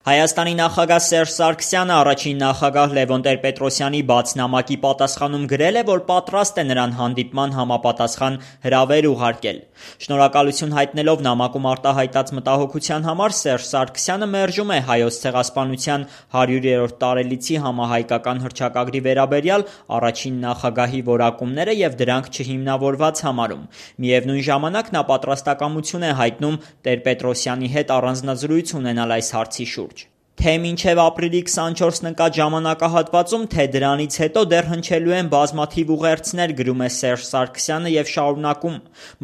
Հայաստանի նախագահ Սերժ Սարգսյանը առաջին նախագահ Լևոն Տեր-Պետրոսյանի բաց նամակի պատասխանում գրել է, որ պատրաստ է նրան հանդիպման համապատասխան հրավեր ուղարկել։ Շնորհակալություն հայտնելով նամակում արտահայտած մտահոգության համար Սերժ Սարգսյանը մերժում է Հայոց ցեղասպանության 100-րդ տարելիցի համահայկական հռչակագրի վերաբերյալ առաջին նախագահի որակումները եւ դրանք չհիմնավորված համարում։ Միևնույն ժամանակ նա պատրաստակամություն է հայտնում Տեր-Պետրոսյանի հետ առանձնազրույց ունենալ այս հարցի շուրջ։ Թե մինչև ապրիլի 24-ն ընկած ժամանակահատվածում, թե դրանից հետո դեռ հնչելու են բազմաթիվ ուղերձներ, գրում է Սերժ Սարգսյանը եւ շարունակում.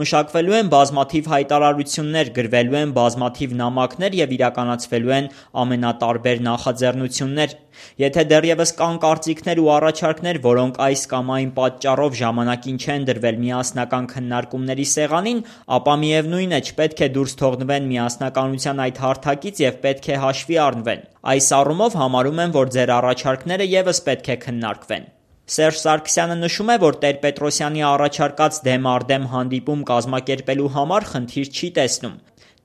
մշակվելու են բազմաթիվ հայտարարություններ, գրվելու են բազմաթիվ նամակներ եւ իրականացվելու են ամենատարբեր նախաձեռնություններ։ Եթե դեռևս կան կարծիքներ ու առաջարկներ, որոնք այս կամ այն պատճառով ժամանակին չեն դրվել միասնական քննարկումների սեղանին, ապա միևնույն է չպետք է դուրս թողնվեն միասնականության այդ հարթակից եւ պետք է հաշվի առնվեն։ Այս առումով համարում եմ, որ ձեր առաջարկները եւս պետք է քննարկվեն։ Սերժ Սարգսյանը նշում է, որ Տեր-Պետրոսյանի առաջարկած դեմ առ դեմ հանդիպում կազմակերպելու համար խնդիր չի տեսնում։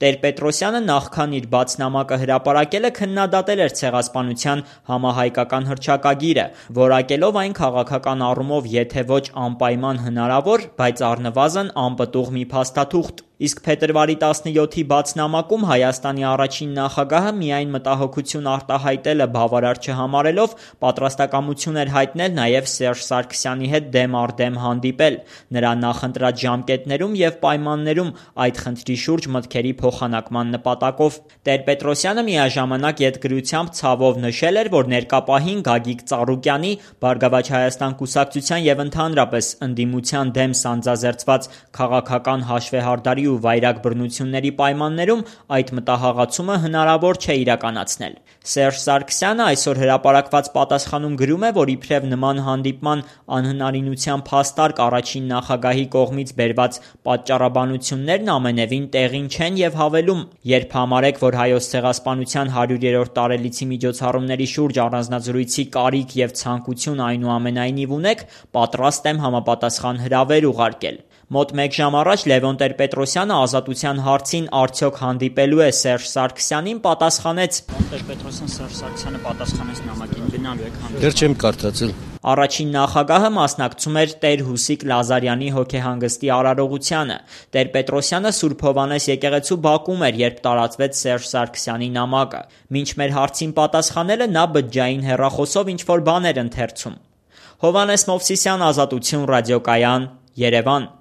Տեր-Պետրոսյանը նախքան իր բաց նամակը հրապարակելը քննադատել էր ցեղասպանության համահայկական հռչակագիրը, որակելով այն քաղաքական առումով եթե ոչ անպայման հնարավոր, բայց առնվազն անպտուղ մի փաստաթուղթ։ Իսկ փետրվարի 17-ի բաց նամակում Հայաստանի առաջին նախագահը միայն մտահոգություն արտահայտելը բավարար չհամարելով պատրաստակամություն էր հայտնել նաև Սերժ Սարգսյանի հետ դեմ առ դեմ հանդիպել, նրա նախընտրած ժամկետներում եւ պայմաններում այդ խնդրի շուրջ մտքերի փոխանակման նպատակով։ Տեր-Պետրոսյանը միաժամանակ ետգրությամբ ցավով նշել էր, որ ներկա պահին Գագիկ Ծառուկյանի Բարգավաճ Հայաստան կուսակցության եւ ընդհանրապես ընդդիմության դեմ սանձազերծված քաղաքական հաշվեհարդարի ու վայրագ բռնությունների պայմաններում այդ մտահղացումը հնարավոր չէ իրականացնել։ Սերժ Սարգսյանը այսօր հրապարակված պատասխանում գրում է, որ իբրև նման հանդիպման անհնարինության փաստարկ առաջին նախագահի կողմից բերված պատճառաբանություններն ամենևին տեղին չեն եւ հավելում. երբ համարեք, որ Հայոց ցեղասպանության 100-րդ տարելիցի միջոցառումների շուրջ առանձնազրույցի կարիք եւ ցանկություն այնուամենայնիվ ունեք, պատրաստ եմ համապատասխան հրավեր ուղարկել։ Մոտ մեկ ժամ առաջ Լևոն Տեր-Պետրոսյանը ազատության հարցին արդյոք հանդիպելու է Սերժ Սարգսյանին պատասխանեց. Տեր-Պետրոսյան Սերժ Սարգսյանը պատասխանեց նամակին, գնալու եք հանդիպել։ Դեռ չեմ կարդացել։ Առաջին նախագահը մասնակցում էր Տեր Հուսիկ Լազարյանի հոգեհանգստի արարողությանը։ Տեր-Պետրոսյանը Սուրբ Հովհաննես եկեղեցու բակում էր, երբ տարածվեց Սերժ Սարգսյանի նամակը։ Մինչ մեր հարցին պատասխանելը նա բջջային հեռախոսով ինչ-որ բան էր ընթերցում։ Հովհաննես Մովսիսյան, Ազատություն ռադիոկայան, Երևան։